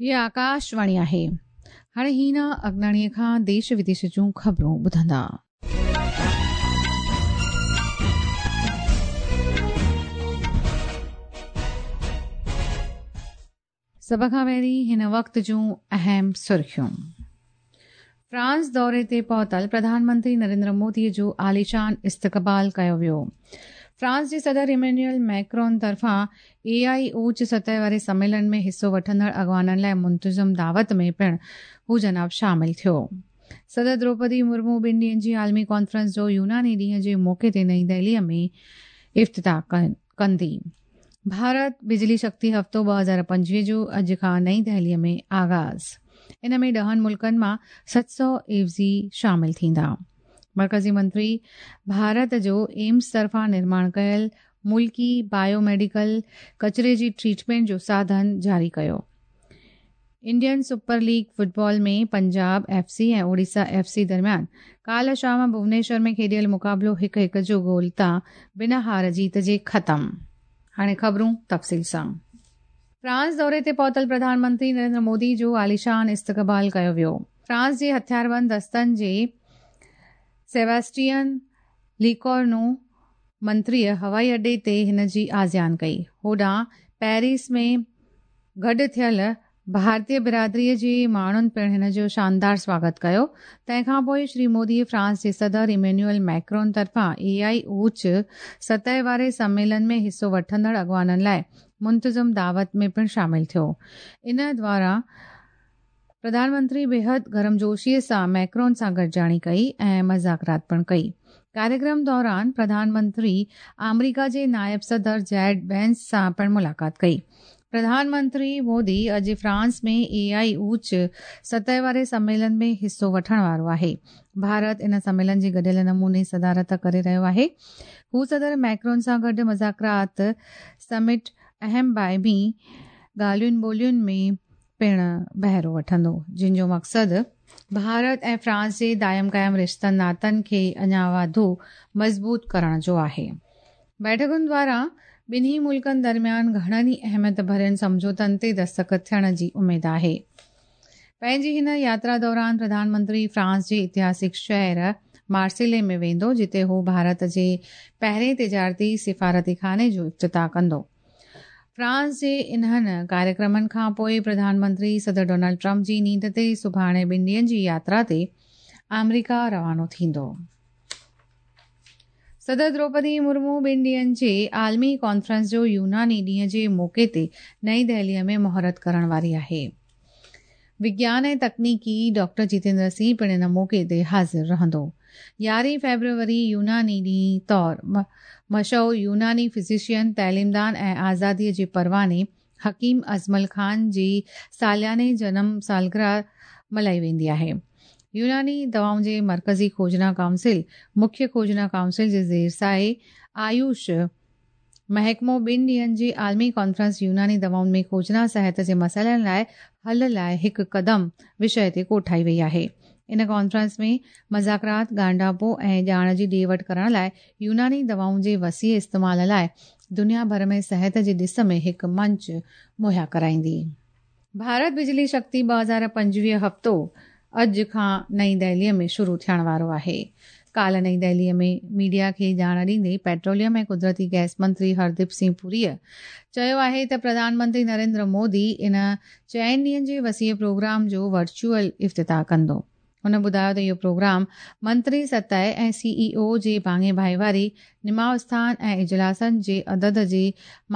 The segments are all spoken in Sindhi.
هيء آڪاشواڻي آهي. هاڻي هينا اگناڻيء کان ديش وديش جون خبرون ٻڌندا. سڀ کان پهرين هن وقت جون اهم سرخيون. فرانس دوري تي پهتل پرڌان منتري نريندر مودي جو عاليشان استقبال ڪيو ويو. فرانس جي صدر ايمينيول ميڪرون طرفان اي آئي اوچ سطح واري سميلن ۾ حصو وٺندڙ اڳواڻن لاء منتظم دعوت ۾ پڻ هو جناب شامل ٿيو. صدر دروپدي مرمو ٻن ڏينهن جي عالمي ڪانفرنس جو يوناني ڏينهن جي موقعي تي نئين دهلي ۾ افتتاح ڪندي. ڀارت بجلي شڪتي هفتو 2025 جو اڄ کان نئين دهلي ۾ آغاز، ان ۾ ڏهن ملڪن مان 700 عيوضي شامل ٿيندا. مرڪزي منتري ڀارت جو ايمس طرفان نرماڻ ڪيل ملڪي بايو ميڊيڪل ڪچري جي ٽريٽمينٽ جو ساڌن جاري ڪيو. Indian super league football ۾ Punjab F C ۽ Odisha F C درميان ڪالهه شام ڀونيشور ۾ کيڏيل مقابلو هڪ هڪ جو گول تان بنا هار جيت جي ختم. هاڻي خبرون تفصيل سان. فرانس دوري تي پهتل پرڌان منتري نريندر مودي جو عاليشان استقبال ڪيو ويو. فرانس جي هٿياربند دستن جي سيباسٽين ليڪورنو منتريء هوائي اڏي تي هن جي آجيان ڪئي. هوڏانهن پيرس ۾ گڏ ٿيل ڀارتي برادريء جي ماڻهن پڻ هن جو شاندار سواگت ڪيو. تنهن کان پوء شري مودي فرانس جي صدر ايمينيول ميڪرون طرفان اي آئي اوچ سطح واري سميلن ۾ حصو وٺندڙ اڳواڻن لاء منتظم دعوت ۾ پڻ شامل ٿيو. ان دوران پرڌان منتري بيحد گرمجوشيء سان ميڪرون سان گڏجاڻي ڪئي ۽ مذاڪرات پڻ ڪئي. ڪاريڪرم دوران پرڌان منتري آمريڪا جي نائب صدر جيڊ وينس سان پڻ ملاقات ڪئي. پرڌان منتري مودي اڄ فرانس ۾ اي آئي اوچ سطح واري سميلن ۾ حصو وٺڻ وارو آهي. ڀارت ان سميلن جي گڏيل نموني صدارت ڪري رهيو آهي. هو صدر ميڪرون سان گڏ مذاڪرات سمٽ اهم باهمي ڳالهين ٻولهين ۾ پڻ بهرو وٺندو، جن جو مقصد ڀارت ۽ فرانس جي دائم قائم رشتن ناتن کي اڃا واڌو مضبوط ڪرڻ جو آهي. بيٺڪن دواران ٻنهي ملڪن درميان گهڻن ئي اهميت ڀرين سمجهوتن تي دستخط ٿيڻ جي اميد آهي. پنهنجي هن ياترا دوران پرڌان منتري فرانس جي اتهاسڪ شهر مارسيلي ۾ ويندو، جتي هو ڀارت جي پهرين تجارتي سفارتخاني جو افتتاح ڪندو. فرانس جي انهن ڪاريڪرمن کان پوء پرڌان منتري صدر ڊونلڊ ٽرمپ جي نينڍ تي سڀاڻي ٻن ڏينهن جي ياترا تي آمريڪا روانو ٿيندو. صدر دروپدي مرمو ٻن ڏينهن جي عالمي ڪانفرنس جو يوناني ڏينهن جي موقعي تي نئين دهلي ۾ مهورت ڪرڻ واري آهي. وگيان ۽ تڪنيڪي ڊاڪٽر جتيندر سنگهه پڻ ان موقعي تي حاضر رهندو. يارهين فيبروري يوناني ڏينهن طور مشهور يوناني فزيشين، تعليمدان ۽ آزاديء جي پرواني حڪيم اجمل خان جي سالياني جنم سالگرهه ملهائي ويندي آهي. يوناني دوائن جي مرڪزي کوجنا ڪائونسل، مکيه کوجنا ڪائونسل جي زير سايي آيوش محڪمو ٻن ڏينهن جي عالمي ڪانفرنس يوناني دوائن ۾ کوجنا صحت جي مسئلن لاء حل لاء هڪ قدم وشيه تي ڪوٺائي وئي آهي. ان ڪانفرنس ۾ مذاڪرات، ڳانڍاپو ۽ ڄاڻ جي ڏي وٺ ڪرڻ لاء يوناني دوائن جي وسيع استعمال لاء دنيا ڀر ۾ صحت جي ڏس ۾ هڪ منچ مهيا ڪرائيندي. ڀارت بجلي شڪتي 2025 هفتو اڄ کان نئين دهلي ۾ شروع ٿيڻ وارو آهي. ڪالهه نئين دهلي ۾ ميڊيا کي ڄاڻ ڏيندي پيٽروليم ۽ قدرتي گئس منتري هرديپ سنگهه پوريء چيو آهي ته پرڌان منتري نريندر مودي ان چئن ڏينهن جي وسيع پروگرام جو ورچوئل افتتاح ڪندو. هن ٻڌايو ته اهو پروگرام منتري سطح ۽ سي اي او جي ڀاڱي ڀائيواري، نماء اسٿان ۽ اجلاسن جي عدد جي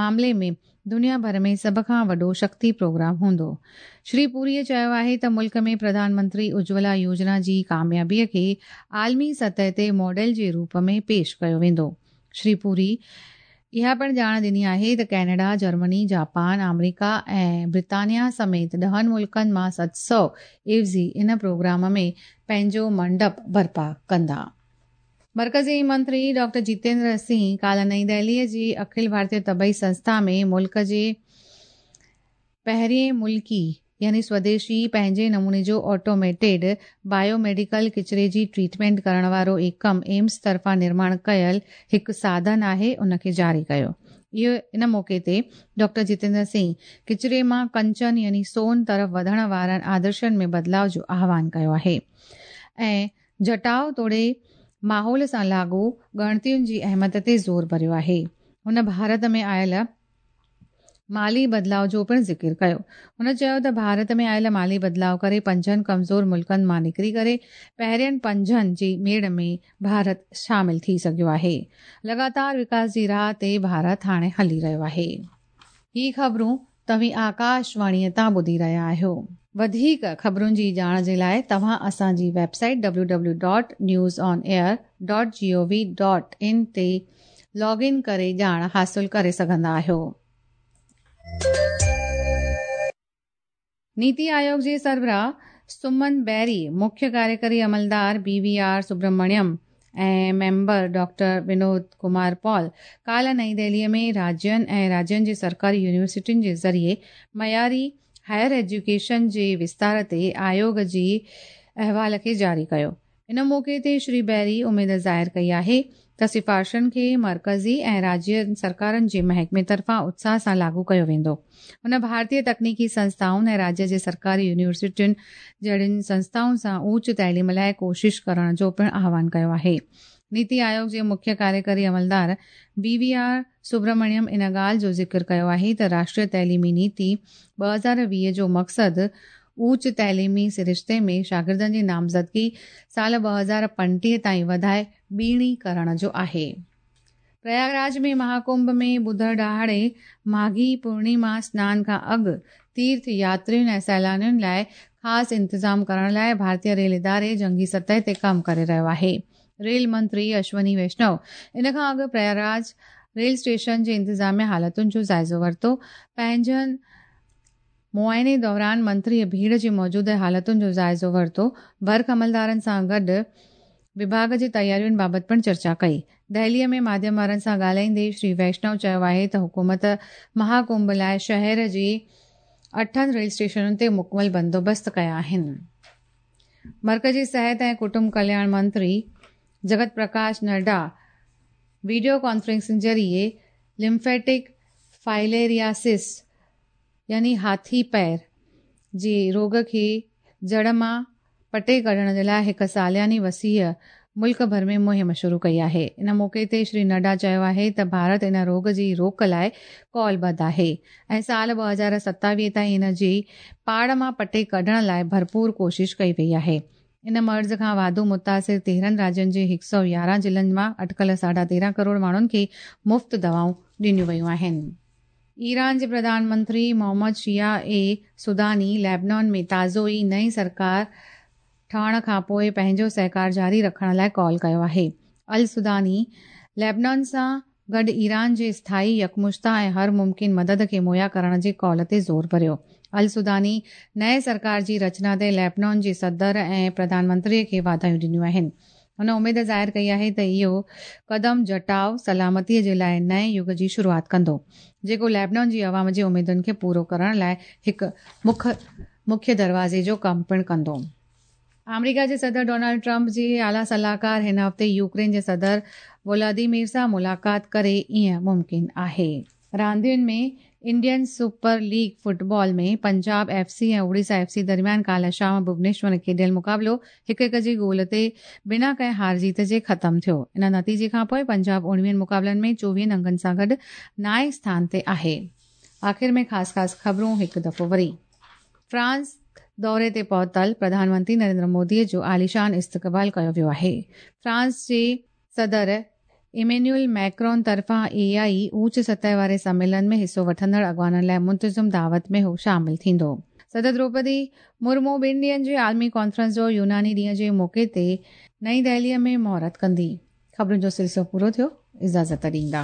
معاملي ۾ دنيا ڀر ۾ سڀ کان وڏو شڪتي پروگرام هوندو. شري پوريء چيو آهي ته ملڪ ۾ پرڌان منتري اجولا يوجنا جي ڪاميابي کي عالمي سطح تي ماڊل جي روپ ۾ پيش ڪيو ويندو. شري پوري اها پڻ ڄاڻ ڏني آهي ته ڪئناڊا، جرمني، جاپان، آمريڪا ۽ برطانيا سميت ڏهن ملڪن مان 700 عيوضي ان پروگرام ۾ پنهنجو منڊپ برپا ڪندا. مرڪزي منتري ڊاڪٽر جتيندر سنگهه ڪالهه نئين دهلي جي اکل ڀارتيه طبعي سنسٿا ۾ ملڪ جي پهرين ملڪي يعني سوديشي پنهنجي نموني جو آٽوميٽيڊ بايو ميڊيڪل ڪچري جي ٽريٽمينٽ ڪرڻ وارو ايڪم ايمس طرفان نرماڻ ڪيل هڪ ساڌن آهي ان کي جاري ڪيو. اهو ان موقعي تي ڊاڪٽر جتيندر سنگهه ڪچري مان ڪنچن يعني سون طرف وڌڻ وارن آدرشن ۾ بدلاء جو آهوان ڪيو آهي ۽ جٽاء توڙي ماحول سان لاڳو ڳڻتين جي اهميت تي زور ڀريو آهي. هن ڀارت ۾ آيل مالي بدلاء جو پڻ ذڪر ڪيو. هن چيو ته ڀارت ۾ آيل مالي بدلاء ڪري پنجن ڪمزور ملڪن مان نڪري ڪري پهرين پنجن جي ميڙ ۾ ڀارت شامل ٿي سگهيو آهي. لڳاتار وڪاس جي راهه تي ڀارت هاڻي هلي رهيو آهي. هي خبرون توهين آڪاش واڻيء تان ٻڌي رهيا آهيو. وڌيڪ خبرن جي ڄاڻ جي لاء توهان اسان جي web site W W dot news on air dot G O V dot in تي لاگ ان ڪري ڄاڻ حاصل ڪري سگهندا آهيو. نيتي آيوگ جي سربراهه سمن بيري، مکيه ڪاريڪري عملدار B V R Subrahmanyam ۽ member doctor Vinod Kumar Paul ڪالهه نئين دهلي ۾ راجين ۽ راجين جي سرڪاري يونيورسٽين جي ذريعي معياري هائير ايجوڪيشن جي وستار تي آيوگ جي احوال کي جاري ڪيو. ان موقعي تي شري بيري اميد ظاهر ڪئي آهي ته سفارشن کي مرڪزي ۽ راجيه سرڪارن جي محڪمي طرفان اتساهه سان لاڳو ڪيو ويندو. هن ڀارتيه تڪنيڪي سنسٿائن ۽ راجيه جي سرڪاري يونيورسٽين جهڙين سنسٿائن سان اوچ تعليم لاء ڪوشش ڪرڻ جو پڻ آهوان ڪيو آهي. نيتي آيوگ جي مکيه ڪاريڪري عملدار بي وي آر سبرمڻيم ان ڳالهه جو ذڪر ڪيو آهي ته راشٽريه تعليمي نيتي 2020 جو مقصد اوچ تعليمي سرشتي ۾ شاگردن جي نامزدگي سال 2035 تائين وڌائي ٻيڻي ڪرڻ جو آهي. پرياگراج ۾ مها ڪنڀ ۾ ٻڌر ڏهاڙي ماگهي پورڻيما سنان کان اڳ تيرٿ ياترين ۽ سيلانين لاء خاص انتظام ڪرڻ لاء ڀارتي ريل اداري جنگي سطح تي ڪم ڪري رهيو آهي. ريل منتري اشوني ويشنو ان کان اڳ پرياگراج ريل اسٽيشن جي انتظامي حالتن جو جائزو ورتو. پنهنجن معائني دوران منتريء ڀيڙ جي موجوده حالتن جو جائزو ورتو، برک عملدارن سان گڏ وڀاڳ جي تيارين بابت پڻ چرچا ڪئي. دهليء ۾ ماڌيم وارن سان ڳالهائيندي شري ويشنو چيو آهي ته حڪومت مها ڪنڀ لاء شهر جي اٺن ريل اسٽيشنن تي مڪمل بندوبست ڪيا آهن. مرڪزي صحت ۽ ڪٽنب ڪلياڻ منتري جگت پرڪاش نڊا وڊيو ڪانفرنسنگ ذريعي لمفيٽڪ فائليرياسس يعني هاٿي پير جي روڳ کي جڙ مان پٽي ڪڍڻ جي لاء هڪ سالياني وسيع ملڪ ڀر ۾ مهم شروع ڪئي آهي. ان موقعي تي شري نڊا چيو آهي ته ڀارت ان روڳ جي روڪ لاء قولبڌ آهي ۽ سال 2027 تائين ان جي پاڙ مان پٽي ڪڍڻ لاء ڀرپور ڪوشش ڪئي وئي آهي. ان مرض کان واڌو متاثر 13 راجين جي 111 ضلعن مان اٽڪل ساڍا 13 ڪروڙ ماڻهن کي مفت دوائون ڏنيون ويون آهن. ايران جي پرڌان منتري محمد شيعه اي سوداني ليبنان ۾ تازو ئي نئين سرڪار ٺهڻ کانپوء پنهنجو سهڪار جاري رکڻ لاء ڪال ڪيو آهي. السوداني ليبنان سان گڏ ايران جي اسٿائي، يڪمشته ۽ هر ممڪن مدد کي مهيا ڪرڻ جي ڪال تي زور ڀريو. السوداني نئين سرڪار جي رچنا تي ليبنان جي صدر ۽ پرڌان منتري کي واڌايون ڏنيون آهن. هن اميد ظاهر ڪئي آهي ته اهو قدم جٽاء سلامتي جي لاء نئين يگ جي شروعات ڪندو، جيڪو ليبنان جي عوام جي اميدن کي پورو ڪرڻ لاء هڪ مک مکيه دروازي جو ڪم پڻ ڪندو. آمريڪا جي صدر ڊونلڊ ٽرمپ جي اعليٰ صلاحڪار هن هفتي يوڪرين جي صدر ولاديمير سان ملاقات ڪري ائين ممڪن آهي. راندين ۾ Indian super league football ۾ Punjab F C ۽ Odisha F C درميان ڪالهه شام ڀونيشور ۾ کيڏيل مقابلو هڪ هڪ جي گول تي بنا ڪنهن هار جيت جي ختم ٿيو. ان نتيجي کانپوء پنجاب اوڻويهن مقابلن ۾ چوويهن انگن سان گڏ نائين اسٿان تي آهي. آخر ۾ خاص خاص خبرون هڪ دفعو وري. فرانس دوري تي پهتل پرڌان منتري نريندر مودي جو عاليشان استقبال ڪيو ويو آهي. فرانس جي صدر ايمينيول ميڪرون طرفان اي آء اوچ سطح واري سميلن ۾ حصو وٺندڙ اڳواڻن لاء منتظم دعوت ۾ هو شامل ٿيندو. صدر دروپدي مرمو ٻن ڏينهن جي عالمي ڪانفرنس جو يوناني ڏينهن جي موقعي تي نئين دهلي ۾ مهورت ڪندي. خبرن جو سلسلو پورو ٿيو، اجازت ڏيندا.